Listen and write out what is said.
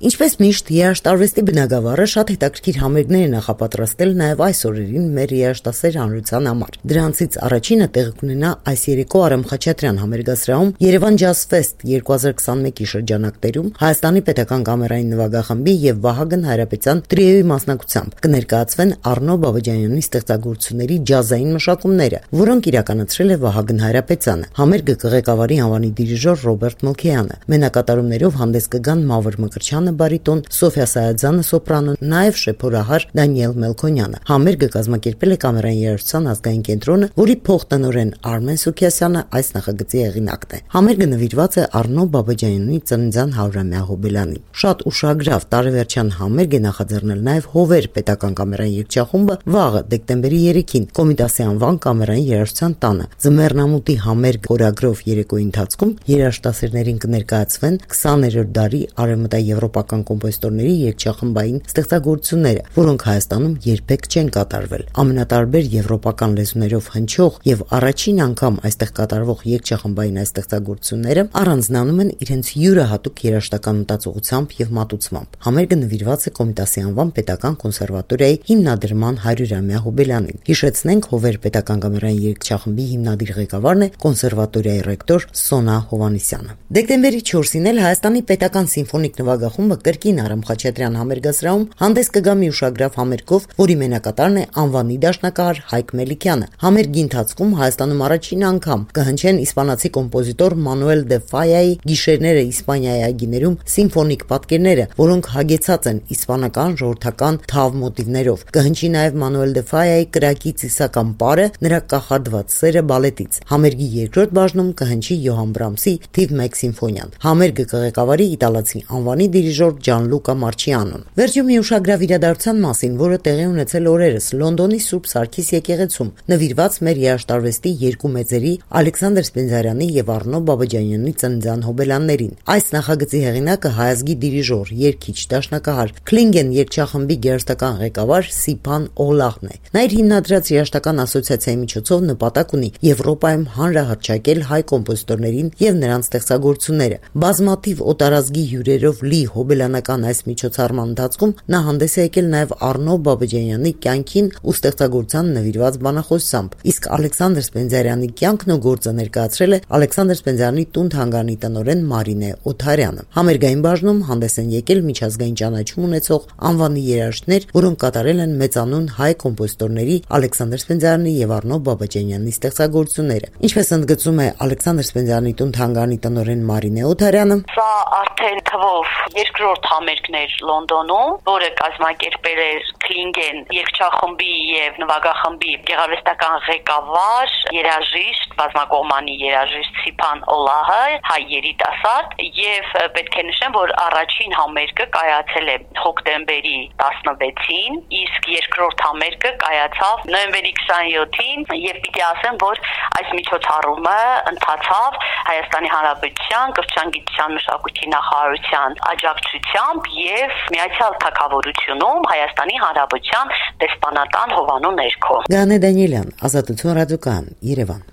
Ինչպես միշտ, երաժշտարվեստի բնագավառը շատ հետաքրքիր համերգներ է նախապատրաստել նաև այս օրերին մեր երաժշտասեր հանրության համար։ Դրանցից առաջինը տեղի կունենա այս երեկո Արամ Խաչատրյան համերգասրահում Երևան Ջազ Ֆեսթ 2021-ի շրջանակներում Հայաստանի պետական կամերային նվագախմբի եւ Վահագն Հայրապետյան տրիոյի մասնակցությամբ կներկայացվեն Առնո Բաբաջանյանի ստեղծագործությունների ջազային մշակումները, որոնք իրականացրել է Վահագն Հայրապետյանը։ Համերգը կղեկավարի անվանի դիրիժոր Ռոբերտ Մելքոյանը։ Մենակատարումներով հանդես կգան Մավր Մկրտչյանը բարիտոն, Սոֆիա Սայադյանը սոպրանո, նաև շեփորահար Դանիել Մելքոնյանը։ Համերգը կազմակերպել է Կամերային երաժշտության ազգային կենտրոնը, որի փոխտնօրեն Արմեն Սուքիասյանը այս նախագծի հեղինակն է։ Համերգը նվիրված է Առնո Բաբաջանյանի ծննդյան 100-ամյա հոբելյանին։ Շատ ուշագրավ տարեվերջյան համերգ է նախաձեռնել նաև Հովեր պետական կամերային երգչախումբը վաղը դեկտեմբերի 3-ին Կոմիտասի անվան կամերային երաժշտության տանը։ Ձմեռնամուտի համերգ խորագրով երեկոյի ընթացքում երաժշտասերներին կներկայացվեն 20-րդ դարի արևմտաեվրոպական կոմպոզիտորների երգչախմբային ստեղծագործությունները, որոնք Հայաստանում երբեք չեն կատարվել։ Ամենատարբեր եվրոպական լեզուներով հնչող եւ առաջին անգամ այստեղ կատարվող երգչախմբային այս ստեղծագործությունները առանձնանում են իրենց յուրահատուկ երաժշտական մտածողությամբ եւ մատուցմամբ։ Համերգը նվիրված է Կոմիտասի անվան պետական կոնսերվատորիայի հիմնադրման 100-ամյա հոբելյանին։ Հիշեցնենք, Հովեր պետական կամերային երգչախմբի հիմնադիր ղեկավարն է կոնսերվատորիայի ռեկտոր Սոնա Հովանիսյանը։ Դեկտեմբերի 4-ին էլ Հայաստանի պետական սիմֆոնիկ նվագախումբը կրկին Արամ Խաչատրյան համերգասրահում հանդես կգա մի ուշագրավ համերգով, որի մենակատարն է անվանի դաշնակահար Հայկ Մելիքյանը։ Համերգի ընթացքում Հայաստանում առաջին անգամ կհնչեն իսպանացի կոմպոզիտոր Մանուել դե Ֆայայի Գիշերները Իսպանիայի այգիներում սիմֆոնիկ պատկերները, որոնք հագեցած են իսպանական ժողովրդական թավ մոտիվներով։ Կհնչի նաև Մանուել դե Ֆայայի Կրակի ծիսական պարը, նրա կախարդված սերը բալետից։ Համերգի երկրորդ բաժնում կհնչի Յոհան Բրամսի թիվ 1 սիմֆոնիան։ Համերգը կղեկավարի իտալացի անվանի դիրիժոր Ջանլուկա Մարչիանոն։ Վերջում մի ուշագրավ իրադարձության մասին, որը տեղի ունեցել օրերս Լոնդոնի Սուրբ Սարգիս եկեղեցում, նվիրված մեր երաժշտարվեստի երկու մեծերի Ալեքսանդր Սպենդիարյանի եւ Առնո Բաբաջանյանի ծննդյան հոբելյաններին։ Այս նախագծի հեղինակը հայազգի դիրիժոր, երգիչ, դաշնակահար Քլինգեն երգչախմբի գերստական ղեկավար Սիփան Օլախն է։ Նա իր հիմնադրած երաժշտական ասոցիացիայի միջոցով նպատակ ունի Եվրոպայում հանրահռչակել հայ կոմպոզիտորներին եւ նրանց ստեղծագործությունները։ Բազմաթիվ օտարազգի հյուրերով լի հոբելյանական այս միջոցառման ընթացքում նա հանդես է եկել նաև Առնո Բաբաջանյանի կյանքին ու ստեղծագործության նվիրված բանախոսությամբ, իսկ Ալեքսանդր Սպենդիարյանի կյանքն ու գործը ներկայացրել է Ալեքսանդր Սպենդիարյանի տուն-թանգարանի տնօրեն Մարինե Օթարյանը։ Համերգային բաժնում հանդես են եկել միջազգային ճանաչում ունեցող անվանի երաժիշտներ, որոնք կատարել են մեծանուն հայ կոմպոզիտորների Ալեքսանդր Սպենդիարյանի եւ Առնո Բաբաջանյանի ստեղծագործությունները։ Ինչպես ընդգծում է Ալեքսանդր Սպենդիարյանի տուն-թանգարանի տնօրեն Մարինե Օթարյանը, սա արդեն թվով երկրորդ համերգն էր Լոնդոնում, որը կազմակերպել էր Քլինգեն երգչախմբի եւ նվագախմբի գեղարվեստական ղեկավար, երաժիշտ, բազմակողմանի երաժիշտ Սիփան Օլահը, հայ երիտասարդ, եւ պետք է նշեմ, որ առաջին համերգը կայացել է հոկտեմբերի 16-ին, իսկ երկրորդ համերգը կայացավ նոյեմբերի 27-ին, եւ պիտի ասեմ, որ այս միջոցառումը ընթացավ Հայաստանի Հանրապետության կրթության, մշակույթի նախարարության աջակցությամբ եւ Միացյալ Թագավորությունում Հայաստանի Հանրապետության դեսպանատան հովանու ներքո։ Գանե Դանիելյան, Ազատություն ռադիոկայան, Երևան։